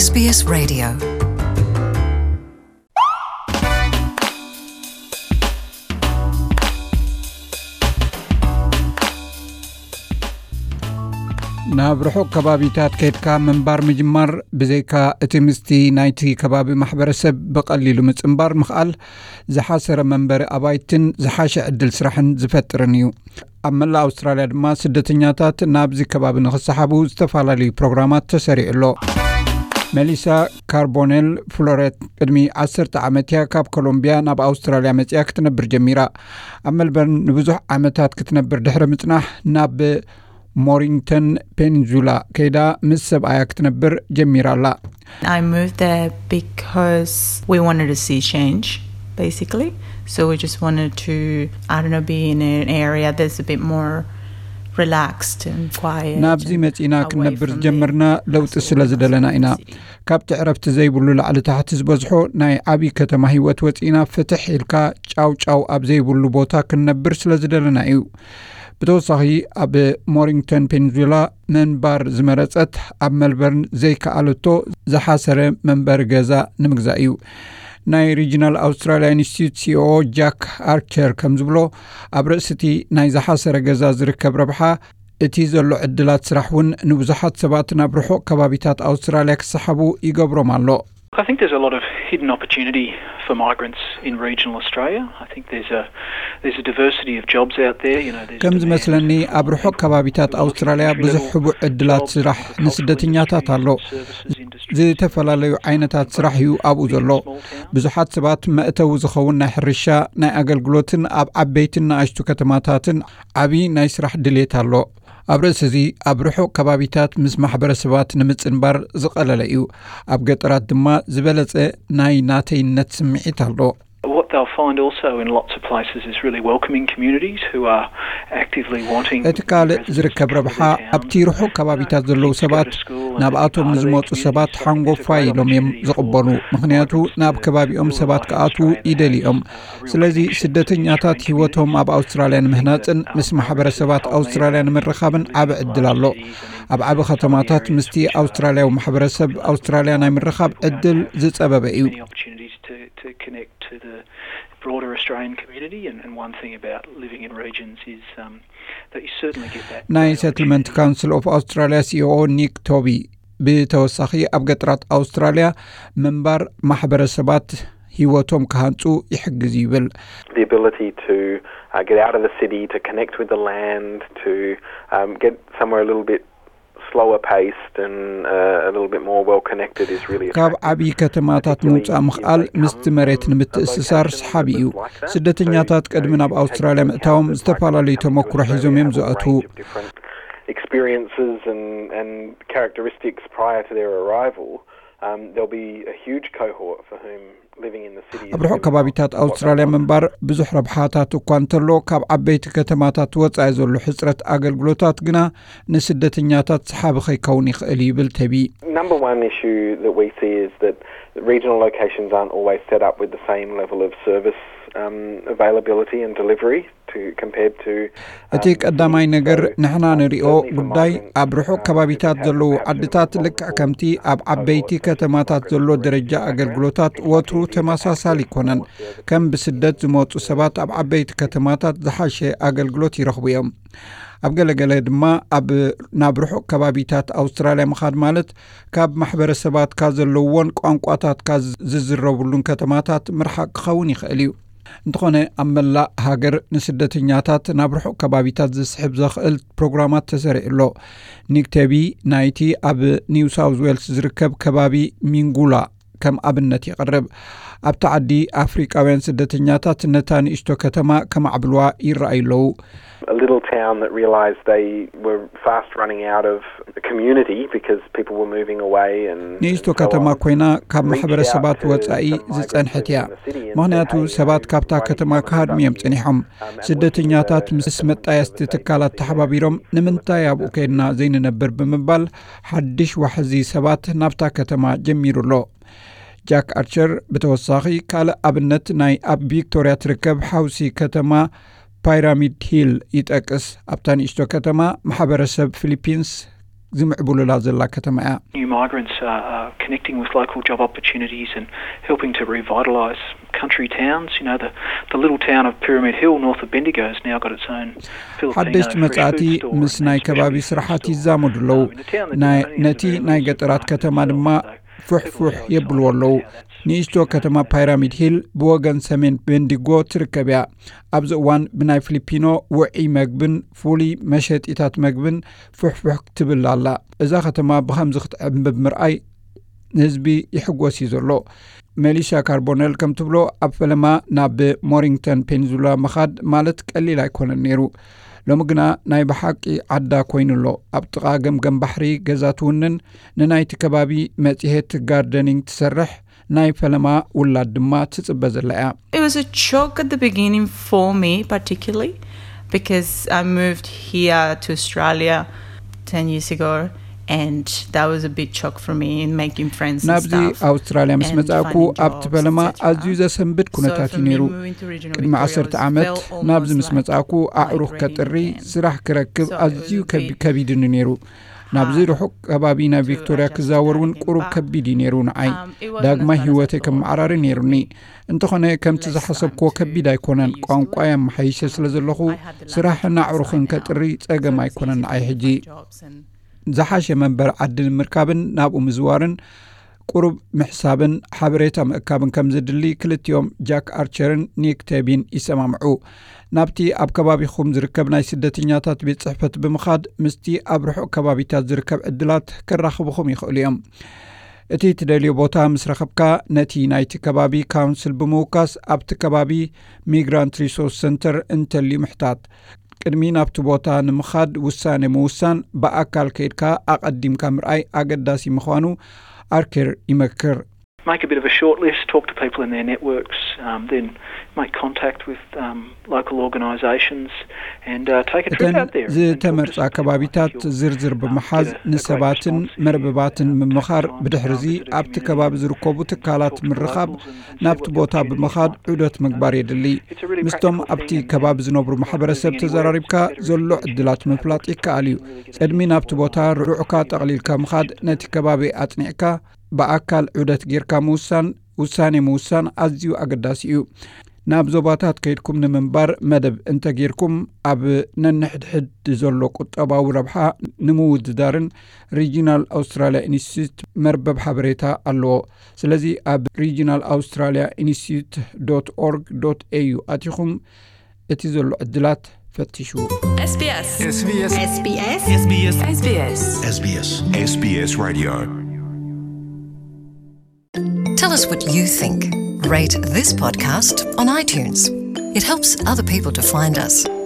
S B S Radio. ናብ ርሑቕ ከባቢታት ከይድካ ምንባር ምጅማር፣ ብዘይካ እቲ ምስቲ ናይቲ ከባቢ ማሕበረሰብ ብቐሊሉ ምጽንባር ምኽኣል፣ ዝሓሰረ መንበሪ ኣባይትን ዝሓሸ ዕድል ስራሕን ዝፈጥርን እዩ። ኣብ መላእ ኣውስትራልያ ድማ ስደተኛታት ናብዚ ከባቢ ንኽሰሓቡ ዝተፈላለዩ ፕሮግራማት ተሰሪዑ ኣሎ። ሜሊሳ ካርቦኔል ፍሎሬት ቅድሚ ዓሰርተ ዓመት እያ ካብ ኮሎምቢያ ናብ ኣውስትራልያ መጺኣ ክትነብር ጀሚራ። ኣብ ሜልበርን ንብዙሕ ዓመታት ክትነብር ድሕሪ ምጽናሕ፣ ናብ ሞሪንግተን ፔኒንዙላ ከይዳ ምስ ሰብኣያ ክትነብር ጀሚራ ኣላ። I moved there because we wanted to see change, basically. So we just wanted to, I don't know, be in an area that's a bit more relaxed and quiet. ናብዚ መጺና ክንነብር ዝጀመርና ለውጢ ስለ ዝደለና ኢና። ካብቲ ዕረፍቲ ዘይብሉ ላዕሊ ታሕቲ ዝበዝሖ ናይ ዓብዪ ከተማ ህይወት ወጺና፣ ፍትሕ ኢልካ ጫው ጫው ኣብ ዘይብሉ ቦታ ክንነብር ስለ ዝደለና እዩ። ብተወሳኺ፣ ኣብ ሞሪንግተን ፔኒንዙላ ምንባር ዝመረጸት፣ ኣብ ሜልበርን ዘይከኣለቶ ዝሓሰረ መንበሪ ገዛ ንምግዛእ እዩ። ናይ ሪጂናል ኣውስትራልያ ኢንስቲትዩት ሲኦኦ ጃክ ኣርቸር ከም ዝብሎ፣ ኣብ ርእሲ እቲ ናይ ዝሓሰረ ገዛ ዝርከብ ረብሓ፣ እቲ ዘሎ ዕድላት ስራሕ እውን ንብዙሓት ሰባት ናብ ርሑቕ ከባቢታት ኣውስትራልያ ክሰሓቡ ይገብሮም ኣሎ። I think there's a lot of hidden opportunity for migrants in regional Australia. I think there's a there's a diversity of jobs out there. You know, there's ከም demand ዝመስለኒ፣ ኣብ ርሑቕ ከባቢታት ኣውስትራልያ ብዙሕ ሕቡእ ዕድላት ስራሕ ንስደተኛታት ኣሎ። ዝተፈላለዩ ዓይነታት ስራሕ እዩ ኣብኡ ዘሎ። ብዙሓት ሰባት መእተዊ ዝኸውን ናይ ሕርሻ፣ ናይ ኣገልግሎትን ኣብ ዓበይትን ንኣሽቱ ከተማታትን ዓቢ ናይ ስራሕ ድሌት ኣሎ። ኣብ ርእሲ እዚ፣ ኣብ ርሑቕ ከባቢታት ምስ ማሕበረሰባት ንምጽንባር ዝቐለለ እዩ። ኣብ ገጠራት ድማ ዝበለጸ ናይ ናተይነት ስምዒት ኣሎ። What they'll find also in lots of places is really welcoming communities who are actively wanting. እቲ ካልእ ዝርከብ ረብሓ፣ ኣብቲ ርሑቕ ከባቢታት ዘለዉ ሰባት ናብኣቶም ንዝመጹ ሰባት ሓንጎፋይ ኢሎም እዮም ዝቕበሉ። ምኽንያቱ፣ ናብ ከባቢኦም ሰባት ክኣትዉ ይደልዮም። ስለዚ፣ ስደተኛታት ህይወቶም ኣብ ኣውስትራልያ ንምህናጽን ምስ ማሕበረሰባት ኣውስትራልያ ንምርኻብን ዓቢ ዕድል ኣሎ። ኣብ ዓቢ ከተማታት ምስቲ ኣውስትራልያዊ ማሕበረሰብ ኣውስትራልያ ናይ ምርኻብ ዕድል ዝጸበበ እዩ። Many opportunities to, to connect to the broader Australian community, and, and one thing about living in regions is um, that you certainly get that. ናይ that ሰትልመንት opportunity. ካውንስል ኦፍ ኣውስትራልያ ሲኦኦ ኒክ ቶቢ፣ ብተወሳኺ ኣብ ገጠራት ኣውስትራልያ ምንባር ማሕበረሰባት ህይወቶም ክሃንጹ ይሕግዝ ይብል። The ability to uh, get out of the city, to connect with the land, to um, get somewhere a little bit slower paced and uh, a little bit more well connected is really ካብ attractive. ዓብዪ ከተማታት ምውጻእ ምኽኣል ምስቲ መሬት ንምትእስሳር ሰሓቢ እዩ። ስደተኛታት ቅድሚ ናብ ኣውስትራልያ ምእታዎም ዝተፈላለዩ ተመክሮ ሒዞም እዮም ዝኣትዉ። Experiences and, and characteristics prior to their arrival, um, there'll be a huge cohort for whom living in the city is ኣብ ርሑቕ ከባቢታት ኣውስትራልያ ምንባር ብዙሕ ረብሓታት እኳ እንተሎ፣ ካብ ዓበይቲ ከተማታት ወጻኢ ዘሎ ሕጽረት ኣገልግሎታት ግና ንስደተኛታት ሰሓቢ ከይከውን ይኽእል ይብል ተቢ። Number one issue that we see is that regional locations aren't always set up with the same level of service um, availability and delivery to compared to. እቲ ቀዳማይ ነገር ንሕና ንሪኦ ጉዳይ፣ ኣብ ርሑቕ ከባቢታት ዘለዉ ዓድታት ልክዕ ከምቲ ኣብ ዓበይቲ ከተማታት ዘሎ ደረጃ ኣገልግሎታት ወትሩ ተመሳሳሊ ኣይኮነን። ከም ብስደት ዝመጹ ሰባት ኣብ ዓበይቲ ከተማታት ዝሓሸ ኣገልግሎት ይረኽቡ እዮም። ኣብ ገለገለ ድማ ኣብ ናብ ርሑቕ ከባቢታት ኣውስትራልያ ምኻድ ማለት ካብ ማሕበረሰባትካ ዘለውዎን ቋንቋታትካ ዝዝረብሉን ከተማታት ምርሓቕ ክኸውን ይኽእል እዩ። እንተኾነ፣ ኣብ መላእ ሃገር ንስደተኛታት ናብ ርሑቕ ከባቢታት ዝስሕብ ዘኽእል ፕሮግራማት ተሰሪዑ ኣሎ። ኒክ ቴቢ ናይቲ ኣብ ኒው ሳውዝ ዌልስ ዝርከብ ከባቢ ሚንጉላ ከም ኣብነት የቕርብ። ኣብቲ ዓዲ ኣፍሪቃውያን ስደተኛታት ነታ ንእሽቶ ከተማ ከማዕብልዋ ይረኣዩ ኣለዉ። A little town that realised they were fast running out of community because people were moving away and ንእሽቶ ከተማ ኮይና ካብ ማሕበረሰባት ወጻኢ ዝጸንሐት እያ። ምኽንያቱ ሰባት ካብታ ከተማ ክሃድሙ እዮም ጸኒሖም። ስደተኛታት ምስ መጣየስቲ ትካላት ተሓባቢሮም፣ ንምንታይ ኣብኡ ከይድና ዘይንነብር ብምባል ሓድሽ ዋሕዚ ሰባት ናብታ ከተማ ጀሚሩ ኣሎ። ጃክ ኣርቸር ብተወሳኺ ካልእ ኣብነት ናይ ኣብ ቪክቶርያ ትርከብ ሓውሲ ከተማ ፓይራሚድ ሂል ይጠቅስ። ኣብታ ንእሽቶ ከተማ ማሕበረሰብ ፊሊፒንስ ዝምዕብሉላ ዘላ ከተማ እያ። New migrants are, are connecting with local job opportunities and helping to revitalise country towns. You know, the, the little town of Pyramid Hill, north of Bendigo, has now got its own Filipino ሓደሽቲ fresh መጻእቲ food store ምስ and ናይ specialty ከባቢ seafood ስራሓት store. ይዛመዱ ኣለዉ። Um, in a town that ናይ didn't only ነቲ have ናይ animals, ገጠራት but ከተማ also ድማ people ፍሕፉሕ outside የብልዎ of ኣለዉ። town. That's ንእሽቶ ከተማ ፓይራሚድ ሂል ብወገን ሰሜን ቤንዲጎ ትርከብ እያ። ኣብዚ እዋን ብናይ ፊሊፒኖ ውዒ መግብን ፍሉይ መሸጢታት መግብን ፍሕፉሕ ክትብል ኣላ። እዛ ከተማ ብኸምዚ ክትዕንብብ ምርኣይ ንህዝቢ ይሕጎስ እዩ ዘሎ። ሜሊሻ ካርቦነል ከም ትብሎ፣ ኣብ ፈለማ ናብ ሞሪንግተን ፔኒንሱላ ምኻድ ማለት ቀሊል ኣይኮነን ነይሩ። ሎሚ ግና ናይ ብሓቂ ዓዳ ኮይኑ ኣሎ። ኣብ ጥቓ ገምገም ባሕሪ ገዛ ትውንን፣ ንናይቲ ከባቢ መጽሔት ጋርደኒንግ ትሰርሕ፣ ናይ ፈለማ ውላድ ድማ ትጽበ ዘላ እያ። It was a shock at the beginning for me, particularly because I moved here to Australia ten years ago, and that was a big shock for me in making friends and ናብዚ stuff. ኣውስትራልያ ምስ and መጻእኩ finding ኣብቲ jobs, ፈለማ et cetera. ኣዝዩ ዘሰንብድ So ኩነታት for እዩ me, ነይሩ። moving to regional ቅድሚ Victoria ዓሰርተ was- ዓመት felt ናብዚ almost ምስ like መጻእኩ my ኣዕሩኽ dream ከጥሪ again. ስራሕ ክረክብ So it ኣዝዩ was a ከቢ- big ከቢዱ ነይሩ። ናብዚ hard ርሑቕ ከባቢ ናብ to ቪክቶሪያ adjust ክዛወር እውን everything ቁሩብ back. ከቢድ እዩ ነይሩ ንዓይ። Um, it wasn't ዳግማይ as bad ህይወተይ as I ከመዓራሪ ነይሩኒ። እንተኾነ ከምቲ ዝሓሰብክዎ ከቢድ ኣይኮነን። ቋንቋ የመሓይሸ ስለ ዘለኹ ስራሕን ኣዕሩኽን ከጥሪ ጸገም ኣይኮነን ንዓይ ሕጂ። ዝሓሸ መንበር ዓዲ ንምርካብን ናብኡ ምዝዋርን ቁሩብ ምሕሳብን ሓበሬታ ምእካብን ከም ዝድሊ ክልቲኦም ጃክ ኣርቸርን ኒክ ቴቢን ይሰማምዑ። ናብቲ ኣብ ከባቢኹም ዝርከብ ናይ ስደተኛታት ቤት ጽሕፈት ብምኻድ ምስቲ ኣብ ርሑቕ ከባቢታት ዝርከብ ዕድላት ከራኽብኹም ይኽእሉ እዮም። እቲ ትደልዮ ቦታ ምስ ረኸብካ፣ ነቲ ናይቲ ከባቢ ካውንስል ብምውካስ ኣብቲ ከባቢ ሚግራንት ሪሶርስ ሰንተር እንተልዩ ምሕታት። ቅድሚ ናብቲ ቦታ ንምኻድ ውሳኔ ምውሳን፣ ብኣካል ከይድካ ኣቐዲምካ ምርኣይ ኣገዳሲ ምዃኑ ኣርኬር ይመክር። Make a bit of a short list, talk to people in their networks, um, then make contact with um, local organisations and uh, take a trip እተን out there. and- and talk to ዝተመርጻ some people. ከባቢታት You'll, ዝርዝር um, ብምሓዝ get a- a great ንሰባትን response if you መርበባትን take the ምምኻር time to ብድሕርዚ visit a ኣብቲ community, ከባቢ ዝርከቡ talk to ትካላት the ምርኻብ locals and- and see ናብቲ what the ቦታ opportunities ብምኻድ might be. ዑደት ምግባር የድሊ። It's a really ምስቶም practical ኣብቲ thing and- ከባቢ and ዝነብሩ not ማሕበረሰብ losing anywhere ተዘራሪብካ is better ዘሎ if you can ዕድላት have ምፍላጥ it ይከኣል እዩ። really get ቅድሚ to ናብቲ know ቦታ ርዑዕካ ጠቕሊልካ ምኻድ፣ ነቲ ከባቢ ኣጽኒዕካ ብኣካል ዑደት ጌርካ ምውሳን፣ ውሳኔ ምውሳን ኣዝዩ ኣገዳሲ እዩ። ናብ ዞባታት ከይድኩም ንምንባር መደብ እንተጌርኩም፣ ኣብ ነንሕድሕድ ዘሎ ቁጠባዊ ረብሓ ንምውድዳርን ሪጂናል ኣውስትራልያ ኢንስቲትዩት መርበብ ሓበሬታ ኣለዎ። ስለዚ ኣብ ሪጂናል ኣውስትራልያ ኢንስቲትዩት ዶት ኦርግ ዶት ኤዩ ኣቲኹም እቲ ዘሎ ዕድላት ፈትሹ። SBS SBS SBS SBS SBS SBS Radio. Tell us what you think. Rate this podcast on iTunes. It helps other people to find us.